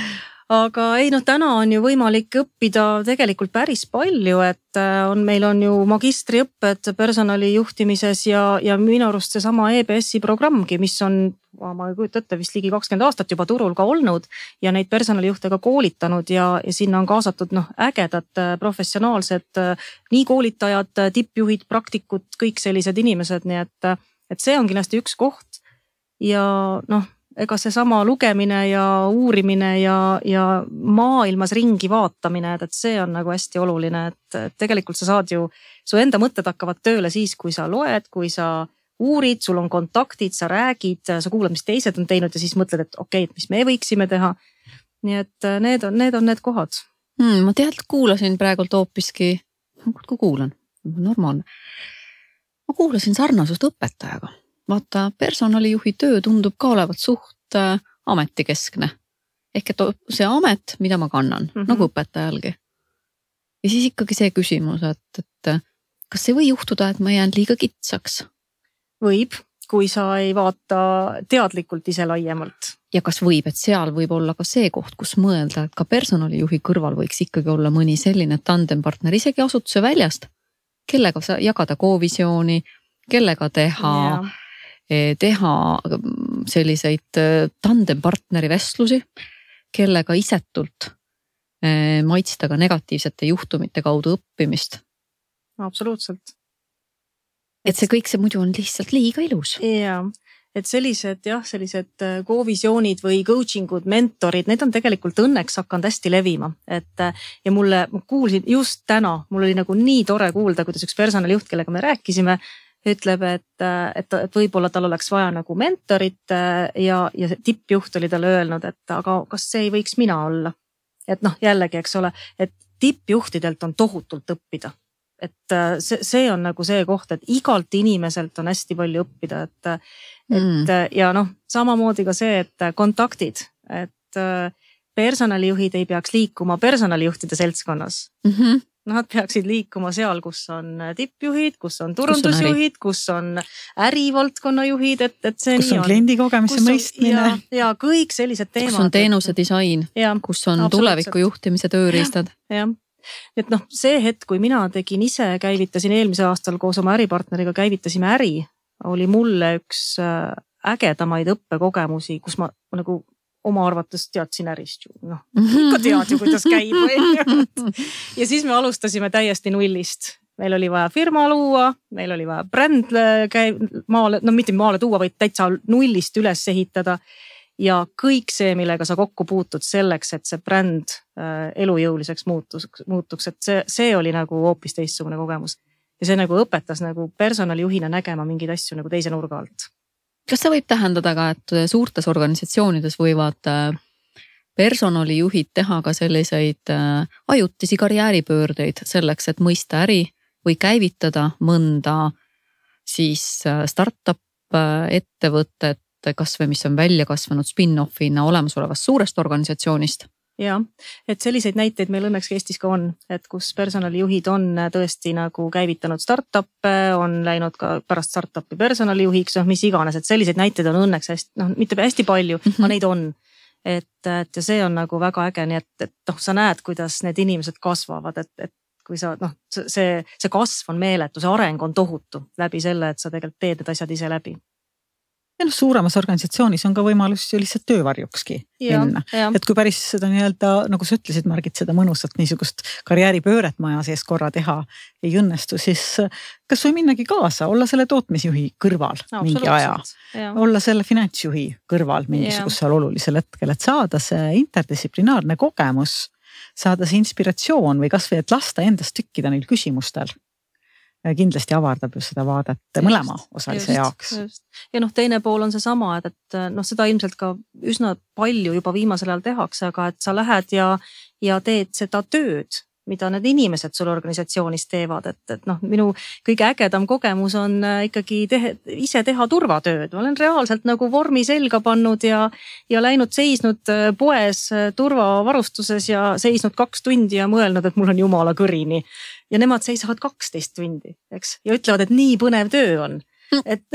Aga ei, täna on ju võimalik õppida tegelikult päris palju, et meil on ju magistriõpped personalijuhtimises ja minu arust see sama EBS-i programmgi, mis on, ma ei kujuta ette, vist ligi 20 aastat juba turul ka olnud ja neid personalijuhte ka koolitanud ja sinna on kaasatud ägedad professionaalsed nii koolitajad, tippjuhid, praktikud, kõik sellised inimesed, nii et see on kindlasti üks koht ja ega see sama lugemine ja uurimine ja maailmas ringi vaatamine, et see on nagu hästi oluline, et tegelikult sa saad ju, su enda mõtted hakkavad tööle siis, kui sa loed, kui sa uurid, sul on kontaktid, sa räägid, sa kuulad, mis teised on teinud ja siis mõtled, et okei, mis me võiksime teha. Nii et need on need kohad. Ma kuulasin praegult hoopiski, kui kuulan, normaalne. Ma kuulasin sarnasust õpetajaga. Vaata, personalijuhi töö tundub ka olevat suht ametikeskne. Ehk et see amet, mida ma kannan, nagu õpetajalgi. Ja siis ikkagi see küsimus, et kas see või juhtuda, et ma jään liiga kitsaks? Võib, kui sa ei vaata teadlikult ise laiemalt. Ja kas võib, et seal võib olla ka see koht, kus mõelda, et ka personalijuhi kõrval võiks ikkagi olla mõni selline tandempartner isegi asutuse väljast, kellega sa jagada koovisiooni, kellega teha selliseid tandempartneri vestlusi, kellega isetult maitsta ka negatiivsete juhtumite kaudu õppimist. Absoluutselt. Et see kõik see muidu on lihtsalt liiga ilus. Ja, et sellised koovisioonid või coachingud, mentorid, need on tegelikult õnneks hakanud hästi levima. Ja ma kuulsin just täna, mul oli nagu nii tore kuulda, kuidas üks personalijuht, kellega me rääkisime, ütleb, et võib-olla tal oleks vaja nagu mentorit ja tippjuht oli talle öelnud, et aga kas see ei võiks mina olla? Et jällegi, eks ole, et tippjuhtidelt on tohutult õppida. et see on nagu see koht, et igalt inimeselt on hästi palju õppida, et ja noh, samamoodi ka see, et kontaktid, et personalijuhid ei peaks liikuma personalijuhtide seltskonnas. Nad peaksid liikuma seal, kus on tippjuhid, kus on turundusjuhid, kus on ärivaldkonna juhid, et see kus nii on kliendi kogemise mõistmine. Ja kõik sellised teemad. Kus on teenuse disain, kus on tuleviku juhtimise tööriistad. Ja. Et noh, see hetk, kui mina tegin ise, käivitasin eelmise aastal koos oma äripartneriga, käivitasime äri, oli mulle üks ägedamaid õppekogemusi, kus ma nagu oma arvates teadsin ärist ju, noh, ikka tead ju, kuidas käib. Ja siis me alustasime täiesti nullist. Meil oli vaja firma luua, meil oli vaja bränd maale, no mitte maale tuua, vaid täitsa nullist üles ehitada. Ja kõik see, millega sa kokku puutud selleks, et see bränd elujõuliseks muutuks, et see oli nagu hoopis teistsugune kogemus. Ja see nagu õpetas nagu personalijuhina nägema mingeid asju nagu teise nurga alt. Kas see võib tähendada ka, et suurtes organisatsioonides võivad personalijuhid teha ka selliseid ajutisi karjääripöördeid selleks, et mõista äri või käivitada mõnda siis startup ettevõtet, kas või mis on välja kasvanud spin-offina olemasolevast suurest organisatsioonist? Ja, et selliseid näiteid meil õnneks Eestis ka on, et kus personalijuhid on tõesti nagu käivitanud startup'e, on läinud ka pärast startup'i personalijuhiks, mis iganes, et selliseid näiteid on õnneks hästi, noh, mitte hästi palju, aga neid on. Et see on nagu väga äge, nii et noh, sa näed, kuidas need inimesed kasvavad, et kui sa, noh, see kasv on meeletu, see areng on tohutu läbi selle, et sa tegelikult teed need asjad ise läbi. Ja noh, suuremas organisatsioonis on ka võimalus ju lihtsalt töövarjukski minna. Et kui päris seda nii-öelda, nagu sa ütlesid, Margit, seda mõnusat niisugust karjääripööret maja sees korra teha ei õnnestu, siis kas või minnagi kaasa, olla selle tootmisjuhi kõrval mingi aja, olla selle finantsjuhi kõrval mingisugusel olulisel hetkel, et saada see interdistsiplinaarne kogemus, saada see inspiratsioon või kas või et lasta endast tükkida neil küsimustel. Kindlasti avardab ju seda vaadet mõlema osalise jaoks. Ja noh, teine pool on see sama, et noh, seda ilmselt ka üsna palju juba viimasel ajal tehakse, aga et sa lähed ja teed seda tööd, mida need inimesed sul organisatsioonis teevad, et noh, minu kõige ägedam kogemus on ikkagi ise teha turvatööd. Ma olen reaalselt nagu vormi selga pannud ja läinud seisnud poes turvavarustuses ja seisnud 2 tundi ja mõelnud, et mul on jumala kõrini. Ja nemad seisavad 12 tundi, eks, ja ütlevad, et nii põnev töö on. Et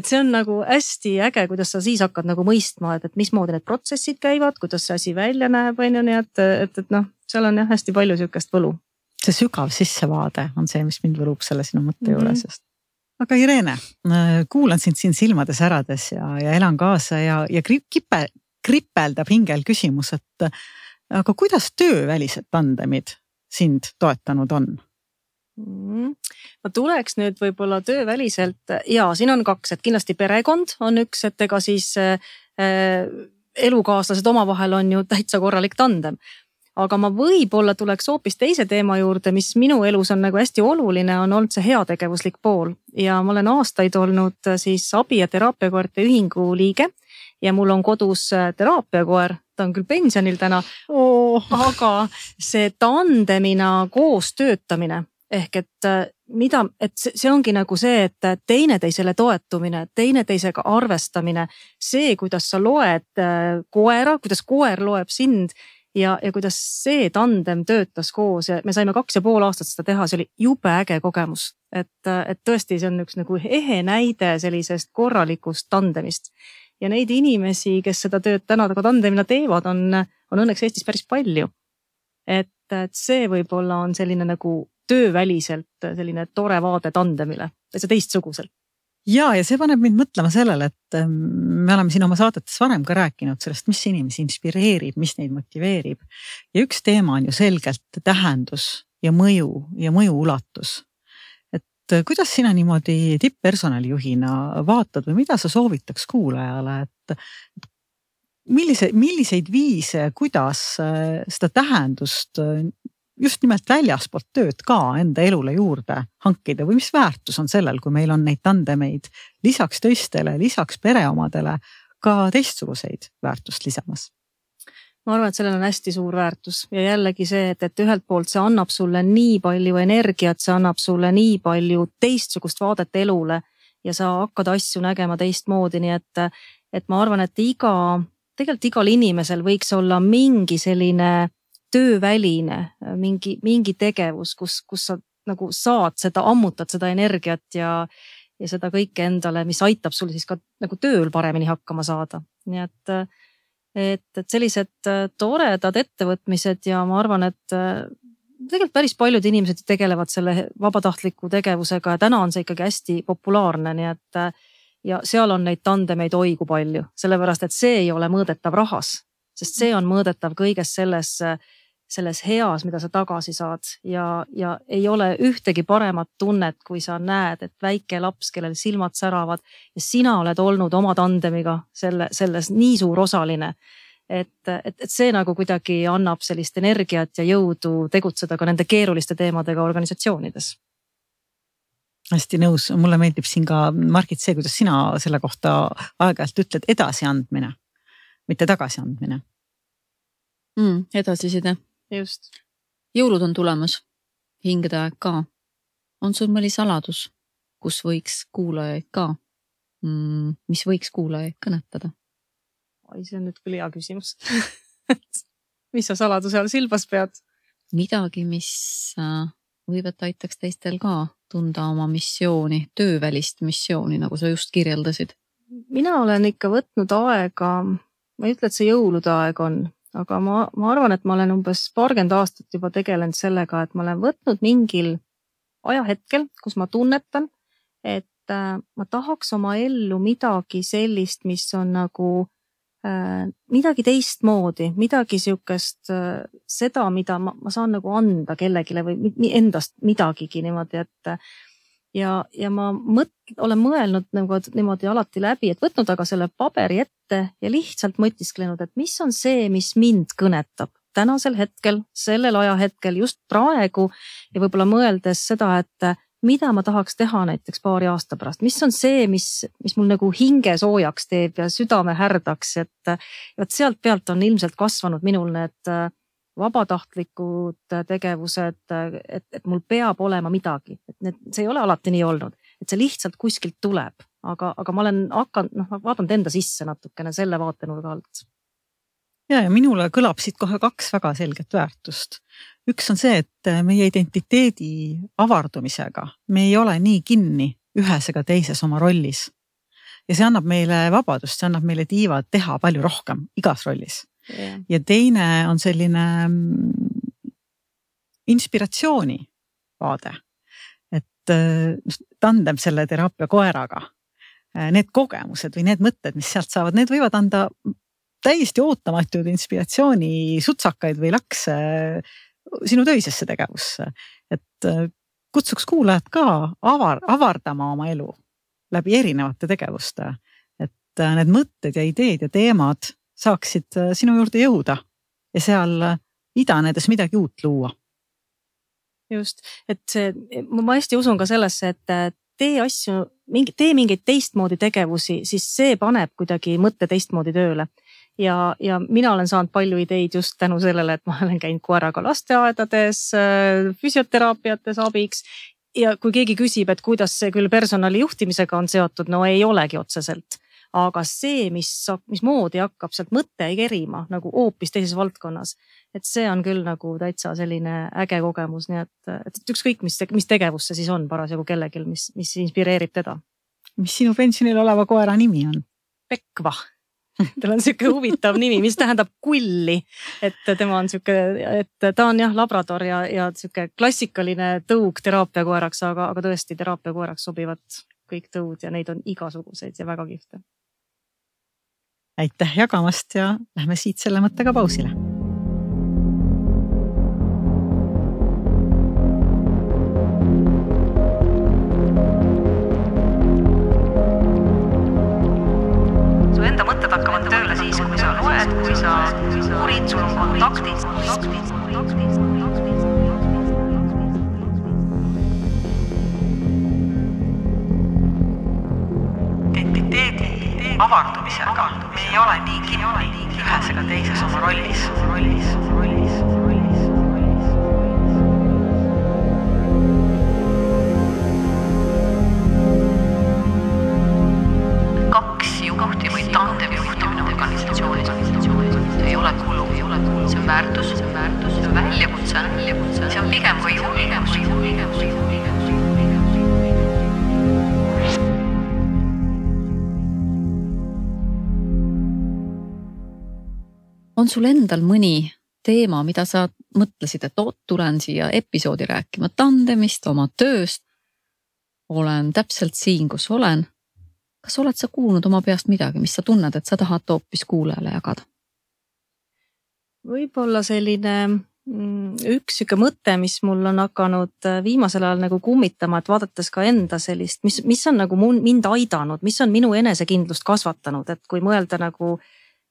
see on nagu hästi äge, kuidas sa siis hakkad nagu mõistma, et mismoodi need protsessid käivad, kuidas see asi välja näeb, nii et noh, seal on jah hästi palju sükest võlu. See sügav sissevaade on see, mis mind võlub selle sinu mõtte juures. Aga Irene, kuulan sind siin silmades ärades ja elan kaasa ja kripeldab hingel küsimus, et aga kuidas töövälised tandemid sind toetanud on? Ma tuleks nüüd võib-olla tööväliselt ja siin on 2, et kindlasti perekond on üks, et ega siis elukaaslased omavahel on ju täitsa korralik tandem. Aga ma võib-olla tuleks hoopis teise teema juurde, mis minu elus on nagu hästi oluline, on olnud see heategevuslik pool. Ja ma olen aastaid olnud siis abi- ja teraapiakoerte ühingu liige ja mul on kodus teraapiakoer, ta on küll pensionil täna, aga see tandemina koos töötamine ehk et see ongi nagu see, et teineteisele toetumine, teineteisega arvestamine, see, kuidas sa loed koera, kuidas koer loeb sind ja kuidas see tandem töötas koos ja me saime 2,5 aastat seda teha, see oli jube äge kogemus, et tõesti see on üks nagu ehe näide sellisest korralikust tandemist. Ja neid inimesi, kes seda tööd täna ka tandemina teevad, on õnneks Eestis päris palju. Et see võib-olla on selline nagu tööväliselt selline tore vaade tandemile, see teistsuguselt. Ja see paneb mind mõtlema sellele, et me oleme siin oma saadetes varem ka rääkinud sellest, mis inimesi inspireerib, mis neid motiveerib. Ja üks teema on ju selgelt tähendus ja mõju ulatus. Kuidas sina niimoodi tipppersonalijuhina vaatad või mida sa soovitaks kuulajale, et milliseid viise, kuidas seda tähendust just nimelt väljaspoolt tööd ka enda elule juurde hankida või mis väärtus on sellel, kui meil on neid tandemeid lisaks teistele, lisaks pereomadele ka teistsuguseid väärtust lisamas? ma arvan, et sellel on hästi suur väärtus ja jällegi see, et ühelt poolt see annab sulle nii palju energiat, see annab sulle nii palju teistsugust vaadet elule ja sa hakkad asju nägema teistmoodi, nii et ma arvan, et tegelikult igal inimesel võiks olla mingi selline tööväline, mingi tegevus, kus sa nagu saad seda, ammutad seda energiat ja seda kõike endale, mis aitab sul siis ka nagu tööl paremini hakkama saada. Nii et sellised toredad ettevõtmised ja ma arvan, et tegelikult päris paljud inimesed tegelevad selle vabatahtliku tegevusega ja täna on see ikkagi hästi populaarne, nii et ja seal on neid tandemeid oigu palju, sellepärast et see ei ole mõõdetav rahas, sest see on mõõdetav kõiges selles heas, mida sa tagasi saad ja ei ole ühtegi paremat tunnet, kui sa näed, et väike laps, kellel silmad säravad ja sina oled olnud oma tandemiga selles nii suur osaline, et see nagu kuidagi annab sellist energiat ja jõudu tegutseda ka nende keeruliste teemadega organisatsioonides. Hästi nõus, mulle meeldib siin ka Margit see, kuidas sina selle kohta aeg-ajalt ütled edasiandmine, mitte tagasiandmine. Edasiside. Just. Jõulud on tulemas, hingede aeg ka. On sul mõni saladus, kus võiks kuulajaid ka, mis võiks kuulajaid kõnetada? See on nüüd küll hea küsimus. Mis sa saladuse all silmas pead? Midagi, mis võivad aitaks teistel ka tunda oma missiooni, töövälist missiooni, nagu sa just kirjeldasid. Mina olen ikka võtnud aega, ma ei ütle, et see jõulude aeg on, aga ma arvan, et ma olen umbes 40 aastat juba tegelenud sellega, et ma olen võtnud mingil ajahetkel, kus ma tunnetan, et ma tahaks oma ellu midagi sellist, mis on nagu midagi teistmoodi, midagi siukest seda, mida ma saan nagu anda kellegile või endast midagigi niimoodi, et ja ma olen mõelnud nagu niimoodi alati läbi, et võtnud aga selle paberi ette ja lihtsalt mõtisklenud, et mis on see, mis mind kõnetab tänasel hetkel, sellel ajahetkel, just praegu ja võib-olla mõeldes seda, et mida ma tahaks teha näiteks paari aasta pärast, mis on see, mis mul nagu hinge soojaks teeb ja südame härdaks, et sealt pealt on ilmselt kasvanud minul need vabatahtlikud tegevused, et mul peab olema midagi, et see ei ole alati nii olnud, et see lihtsalt kuskilt tuleb, aga ma olen vaadanud enda sisse natukene selle vaatenurga alt. Ja minule kõlab siit kohe 2 väga selget väärtust. Üks on see, et meie identiteedi avardumisega me ei ole nii kinni ühes ega teises oma rollis. Ja see annab meile vabadust, see annab meile tiivad teha palju rohkem igas rollis. Yeah. Ja teine on selline inspiratsiooni vaade, et tandem selle teraapia koeraga, need kogemused või need mõtted, mis sealt saavad, need võivad anda täiesti ootamatud inspiratsiooni sutsakaid või lakse sinu töisesse tegevusse. Et kutsuks kuulajad ka avardama oma elu läbi erinevate tegevuste, et need mõtted ja ideed ja teemad saaksid sinu juurde jõuda ja seal idanedes midagi uut luua. Just, et ma hästi usun ka sellesse, et tee mingeid teistmoodi tegevusi, siis see paneb kuidagi mõtte teistmoodi tööle. Ja mina olen saanud palju ideid just tänu sellele, et ma olen käinud koeraga lasteaedades, füsioteraapiates abiks ja kui keegi küsib, et kuidas see küll personali juhtimisega on seotud, no ei olegi otseselt. Aga see, mis moodi hakkab sealt mõtte kerima nagu hoopis teises valdkonnas, et see on küll nagu täitsa selline äge kogemus, nii et ükskõik, mis tegevus see siis on parasjagu kellegil, mis inspireerib teda. Mis sinu pensionil oleva koera nimi on? Pekva. Tal on siuke huvitav nimi, mis tähendab kulli, et tema on siuke, et ta on jah labrador ja siuke klassikaline tõug teraapiakoeraks, aga tõesti teraapiakoeraks sobivad kõik tõud ja neid on igasuguseid ja väga kihvte. Aitäh jagamast ja lähme siit selle mõttega pausile. Su enda mõtted hakkavad tööle siis, kui sa loed, kui sa uurid, sul on kontaktid. Identiteedi avardumisega. Me ei ole nii kinni ühes ega teises oma rollis. Kaks juhti või tandem juhtimine organisatsioonis. See ei ole kulu, see on väärtus, see on väljakutse, see on pigem kui julgus. On sul endal mõni teema, mida sa mõtlesid, et tulen siia episoodi rääkima tandemist, oma tööst. Olen täpselt siin, kus olen. Kas oled sa kuulnud oma peast midagi, mis sa tunned, et sa tahad hoopis kuulajale jagada? Võib-olla selline üks siuke mõte, mis mul on hakanud viimasel ajal nagu kummitama, et vaadates ka enda sellist, mis on nagu mind aidanud, mis on minu enesekindlust kasvatanud, et kui mõelda nagu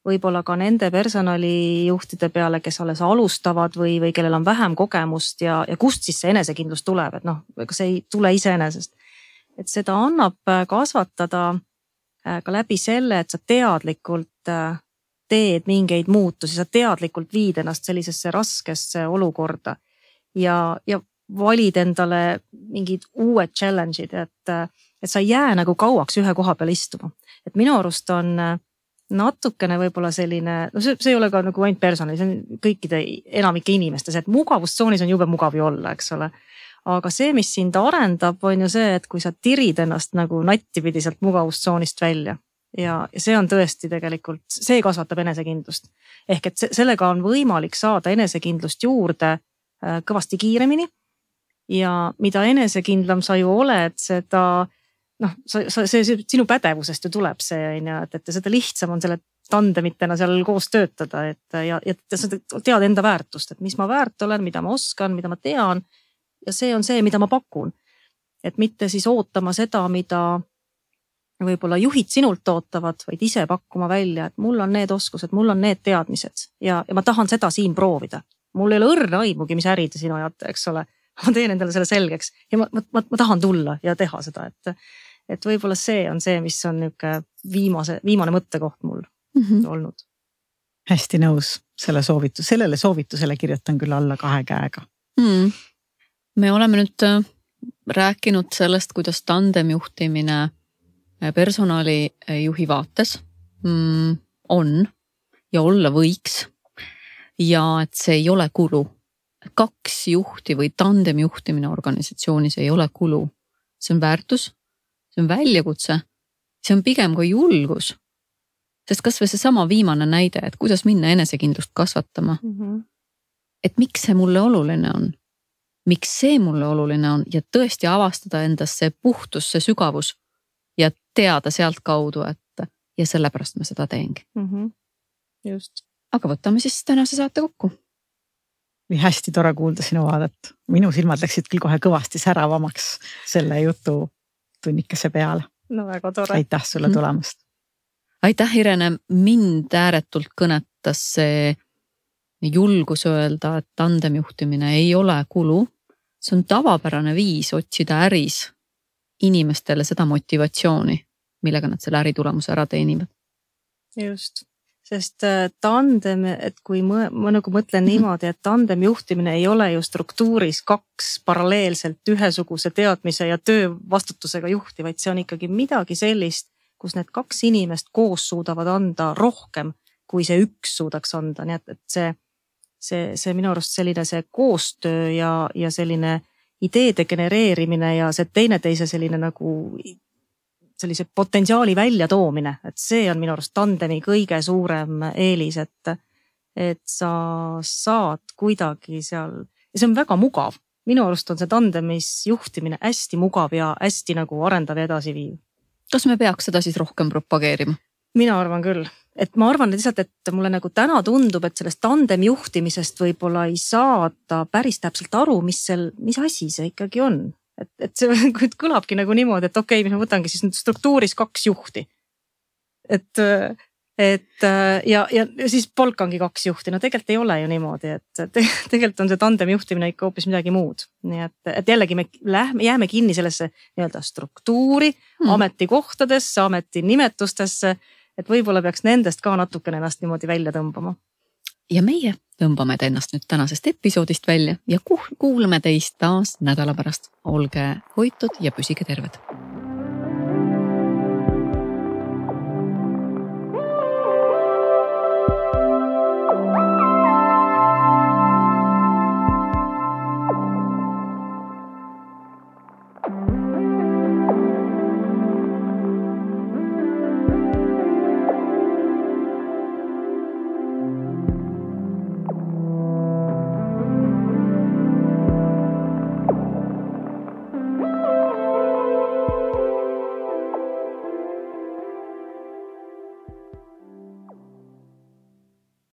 võib-olla ka nende personalijuhtide peale, kes alles alustavad või kellel on vähem kogemust ja kust siis see enesekindlus tuleb, et ega see ei tule iseenesest. Et seda annab kasvatada ka läbi selle, et sa teadlikult teed mingeid muutusi, sa teadlikult viid ennast sellisesse raskesse olukorda ja valid endale mingid uued challenge'id, et sa ei jää nagu kauaks ühe koha peal istuma. Et minu arust on natukene võib-olla selline, see ei ole ka nagu ainult personali, see on kõikide enamike inimestes, et mugavustsoonis on jube mugav ju olla, eks ole. Aga see, mis sind arendab, on ju see, et kui sa tirid ennast nagu nattipidi sealt mugavustsoonist välja ja see on tõesti tegelikult, see kasvatab enesekindlust. Ehk et sellega on võimalik saada enesekindlust juurde kõvasti kiiremini ja mida enesekindlam sa ju oled, seda see sinu pädevusest ju tuleb see, et seda lihtsam on selle tandemitena seal koos töötada, ja sa tead enda väärtust, et mis ma väärt olen, mida ma oskan, mida ma tean ja see on see, mida ma pakun. Et mitte siis ootama seda, mida võib-olla juhid sinult ootavad, vaid ise pakkuma välja, et mul on need oskused, mul on need teadmised ja ma tahan seda siin proovida. Mul ei ole õrna aimugi, mis äri te sinu ajate, eks ole. Ma teen endale selle selgeks ja ma tahan tulla ja teha seda, et võib-olla see on see, mis on viimane mõttekoht mul olnud. Hästi nõus sellele soovitusele kirjutan küll alla 2 käega. Me oleme nüüd rääkinud sellest, kuidas tandemjuhtimine personalijuhi vaates on ja olla võiks ja et see ei ole kulu. 2 juhti või tandemjuhtimine organisatsioonis ei ole kulu. See on väärtus, see on väljakutse, see on pigem kui julgus. Sest kas või see sama viimane näide, et kuidas minna enesekindlust kasvatama. Et miks see mulle oluline on? Miks see mulle oluline on ja tõesti avastada endas see puhtus, see sügavus ja teada sealt kaudu, et ja sellepärast ma seda teengi. Just. Aga võtame siis tänase saate kokku. Oli hästi tore kuulda sinu vaadet. Minu silmad läksid küll kohe kõvasti säravamaks selle jutu tunnikese peale. No väga tore. Aitäh sulle tulemast. Aitäh, Irene. Mind ääretult kõnetas see julgus öelda, et tandemjuhtimine ei ole kulu. See on tavapärane viis otsida äris inimestele seda motivatsiooni, millega nad selle äritulemuse ära teenivad. Just. Sest tandem, et kui ma nagu mõtlen niimoodi, et tandemjuhtimine ei ole ju struktuuris 2 paralleelselt ühesuguse teadmise ja töö vastutusega juhti, vaid see on ikkagi midagi sellist, kus need 2 inimest koos suudavad anda rohkem, kui see 1 suudaks anda. Nii et see minu arust selline see koostöö ja selline ideede genereerimine ja see teineteise selline nagu sellise potentsiaali välja toomine, et see on minu arust tandemi kõige suurem eelis, et sa saad kuidagi seal, ja see on väga mugav. Minu arust on see tandemis juhtimine hästi mugav ja hästi nagu arendav ja edasi viiv. Kas me peaks seda siis rohkem propageerima? Mina arvan küll. Et ma arvan lihtsalt, et mulle nagu täna tundub, et sellest tandem juhtimisest võib-olla ei saada päris täpselt aru, mis asi see ikkagi on. Et see kõlabki nagu niimoodi, et okei, mis ma võtangi siis struktuuris 2 juhti. Et et ja siis polk ongi 2 juhti, no tegelikult ei ole ju niimoodi, et tegelikult on see tandem juhtimine ikka hoopis midagi muud. Nii et jällegi me jääme kinni sellesse nii-öelda struktuuri, ametikohtadesse, ametinimetustesse, et võib-olla peaks nendest ka natukene ennast niimoodi välja tõmbama. Ja meie tõmbame ennast nüüd tänasest episoodist välja ja kuulame teist taas nädala pärast. Olge hoitud ja püsige terved.